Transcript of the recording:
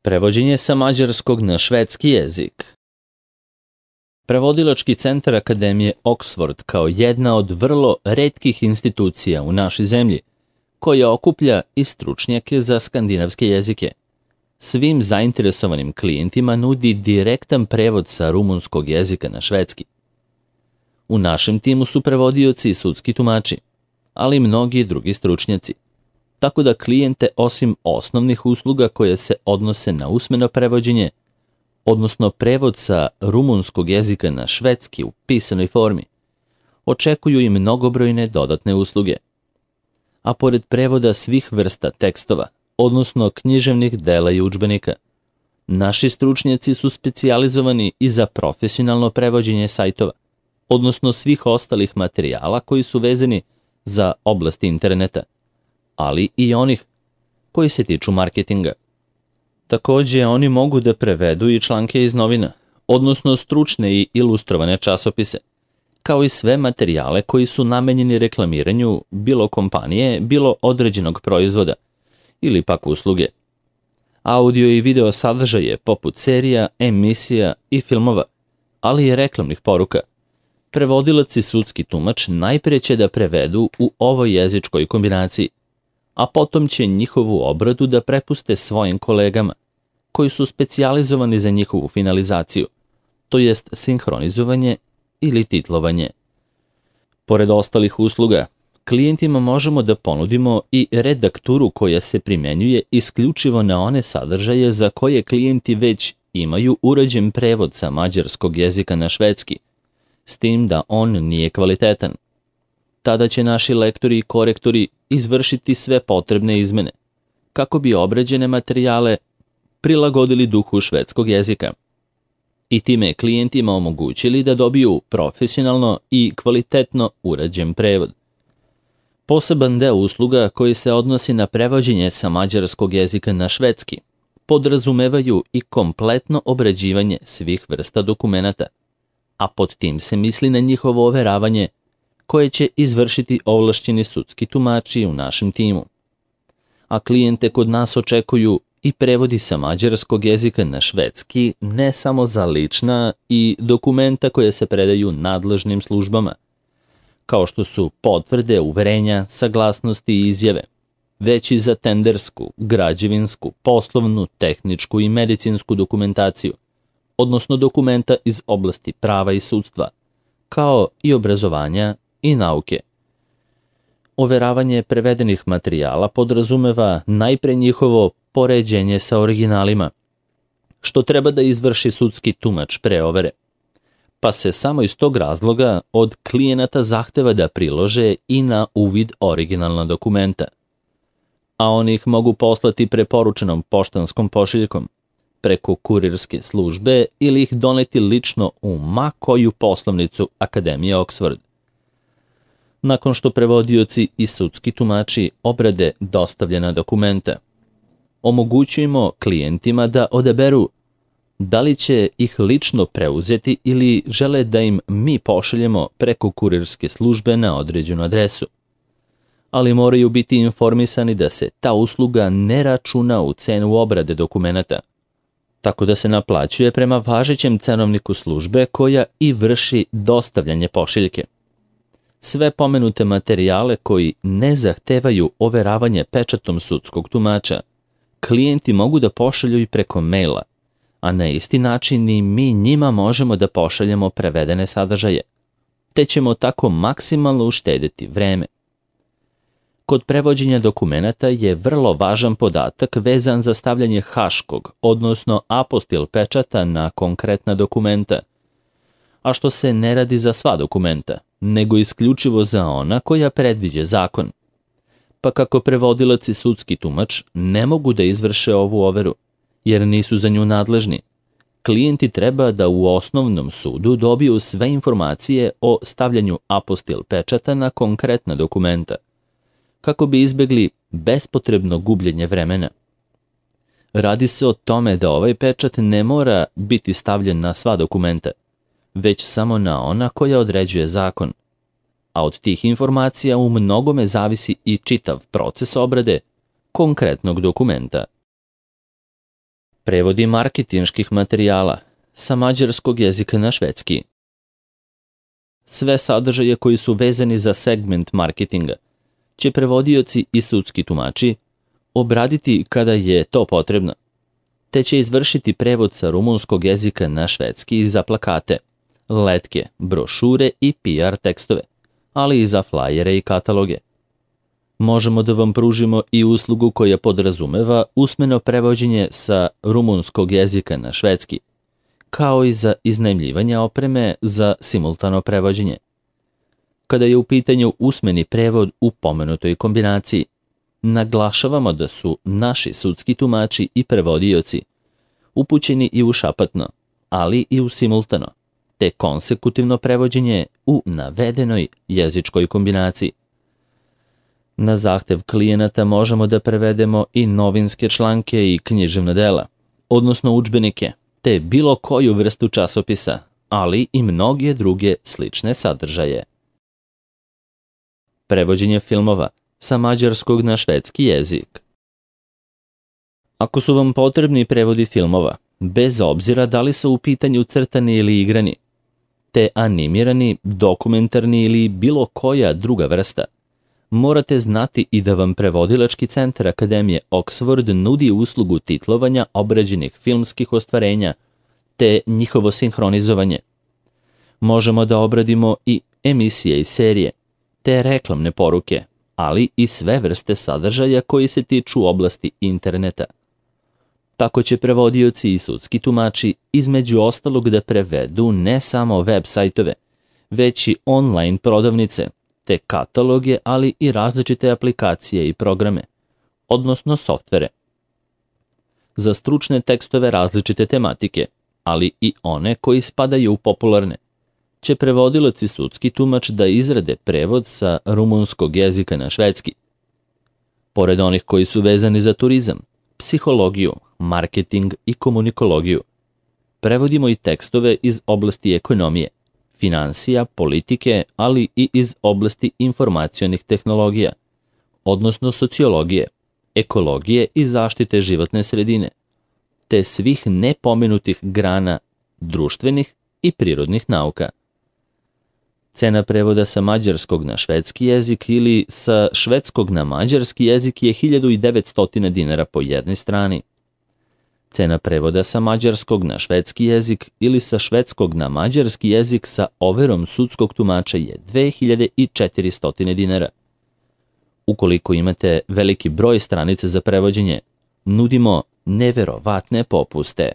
Prevođenje sa mađarskog na švedski jezik. Prevodilački centar Akademije Oxford kao jedna od vrlo retkih institucija u našoj zemlji, koja okuplja i stručnjake za skandinavske jezike. Svim zainteresovanim klijentima nudi direktan prevod sa rumunskog jezika na švedski. U našem timu su prevodioci i sudski tumači, ali i mnogi drugi stručnjaci. Tako da klijente, osim osnovnih usluga koje se odnose na usmeno prevođenje, odnosno prevod sa rumunskog jezika na švedski u pisanoj formi, očekuju i mnogobrojne dodatne usluge. A pored prevoda svih vrsta tekstova, odnosno književnih dela i udžbenika, naši stručnjaci su specijalizovani i za profesionalno prevođenje sajtova, odnosno svih ostalih materijala koji su vezani za oblasti interneta, ali i onih koji se tiču marketinga. Takođe, oni mogu da prevedu i članke iz novina, odnosno stručne i ilustrovane časopise, kao i sve materijale koji su namenjeni reklamiranju bilo kompanije, bilo određenog proizvoda ili pak usluge. Audio i video sadržaje poput serija, emisija i filmova, ali i reklamnih poruka. Prevodilac i sudski tumač najpre će da prevedu u ovoj jezičkoj kombinaciji, a potom će njihovu obradu da prepuste svojim kolegama, koji su specijalizovani za njihovu finalizaciju, to jest sinhronizovanje ili titlovanje. Pored ostalih usluga, klijentima možemo da ponudimo i redakturu koja se primenjuje isključivo na one sadržaje za koje klijenti već imaju urađen prevod sa mađarskog jezika na švedski, s tim da on nije kvalitetan. Tada će naši lektori i korektori izvršiti sve potrebne izmene, kako bi obrađene materijale prilagodili duhu švedskog jezika i time klijentima omogućili da dobiju profesionalno i kvalitetno urađen prevod. Poseban deo usluga koji se odnosi na prevođenje sa mađarskog jezika na švedski podrazumevaju i kompletno obrađivanje svih vrsta dokumenata, a pod tim se misli na njihovo overavanje koje će izvršiti ovlašćeni sudski tumači u našem timu. A klijente kod nas očekuju i prevodi sa mađarskog jezika na švedski ne samo za lična i dokumenta koje se predaju nadležnim službama, kao što su potvrde, uverenja, saglasnosti i izjave, već i za tendersku, građevinsku, poslovnu, tehničku i medicinsku dokumentaciju, odnosno dokumenta iz oblasti prava i sudstva, kao i obrazovanja i nauke. Overavanje prevedenih materijala podrazumeva najpre njihovo poređenje sa originalima, što treba da izvrši sudski tumač pre overe, pa se samo iz tog razloga od klijenata zahteva da prilože i na uvid originalna dokumenta, a oni ih mogu poslati preporučenom poštanskom pošiljkom, preko kurirske službe ili ih doneti lično u ma koju poslovnicu Akademije Oxford. Nakon što prevodioci i sudski tumači obrade dostavljena dokumenta, omogućujemo klijentima da odaberu da li će ih lično preuzeti ili žele da im mi pošaljemo preko kurirske službe na određenu adresu. Ali moraju biti informisani da se ta usluga ne računa u cenu obrade dokumenata, tako da se naplaćuje prema važećem cenovniku službe koja i vrši dostavljanje pošiljke. Sve pomenute materijale koji ne zahtevaju overavanje pečatom sudskog tumača, klijenti mogu da pošalju i preko maila, a na isti način i mi njima možemo da pošaljemo prevedene sadržaje, te ćemo tako maksimalno uštedeti vreme. Kod prevođenja dokumenata je vrlo važan podatak vezan za stavljanje haškog, odnosno apostil pečata na konkretna dokumenta, a što se ne radi za sva dokumenta, nego isključivo za ona koja predviđa zakon. Pa kako prevodilac i sudski tumač ne mogu da izvrše ovu overu, jer nisu za nju nadležni, klijenti treba da u osnovnom sudu dobiju sve informacije o stavljanju apostil pečata na konkretna dokumenta, kako bi izbegli bespotrebno gubljenje vremena. Radi se o tome da ovaj pečat ne mora biti stavljen na sva dokumenta, već samo na ona koja određuje zakon, a od tih informacija u mnogome zavisi i čitav proces obrade konkretnog dokumenta. Prevodi marketinških materijala sa mađarskog jezika na švedski. Sve sadržaje koji su vezani za segment marketinga će prevodioci i sudski tumači obraditi kada je to potrebno, te će izvršiti prevod sa rumunskog jezika na švedski za plakate, letke, brošure i PR tekstove, ali i za flajere i kataloge. Možemo da vam pružimo i uslugu koja podrazumeva usmeno prevođenje sa rumunskog jezika na švedski, kao i za iznajmljivanje opreme za simultano prevođenje. Kada je u pitanju usmeni prevod u pomenutoj kombinaciji, naglašavamo da su naši sudski tumači i prevodioci upućeni i u šapatno, ali i u simultano, te konsekutivno prevođenje u navedenoj jezičkoj kombinaciji. Na zahtev klijenata možemo da prevedemo i novinske članke i književna dela, odnosno udžbenike, te bilo koju vrstu časopisa, ali i mnoge druge slične sadržaje. Prevođenje filmova sa mađarskog na švedski jezik. Ako su vam potrebni prevodi filmova, bez obzira da li su u pitanju crtani ili igrani, te animirani, dokumentarni ili bilo koja druga vrsta, morate znati i da vam prevodilački centar Akademije Oxford nudi uslugu titlovanja obrađenih filmskih ostvarenja te njihovo sinhronizovanje. Možemo da obradimo i emisije i serije, te reklamne poruke, ali i sve vrste sadržaja koji se tiču oblasti interneta. Tako će prevodioci i sudski tumači između ostalog da prevedu ne samo web sajtove, već i online prodavnice, te kataloge, ali i različite aplikacije i programe, odnosno softvere. Za stručne tekstove različite tematike, ali i one koji spadaju u popularne, će prevodilac i sudski tumač da izrade prevod sa rumunskog jezika na švedski. Pored onih koji su vezani za turizam, psihologiju, marketing i komunikologiju, prevodimo i tekstove iz oblasti ekonomije, finansija, politike, ali i iz oblasti informacionih tehnologija, odnosno sociologije, ekologije i zaštite životne sredine, te svih nepomenutih grana društvenih i prirodnih nauka. Cena prevoda sa mađarskog na švedski jezik ili sa švedskog na mađarski jezik je 1900 dinara po jednoj strani. Cena prevoda sa mađarskog na švedski jezik ili sa švedskog na mađarski jezik sa overom sudskog tumača je 2400 dinara. Ukoliko imate veliki broj stranica za prevođenje, nudimo neverovatne popuste.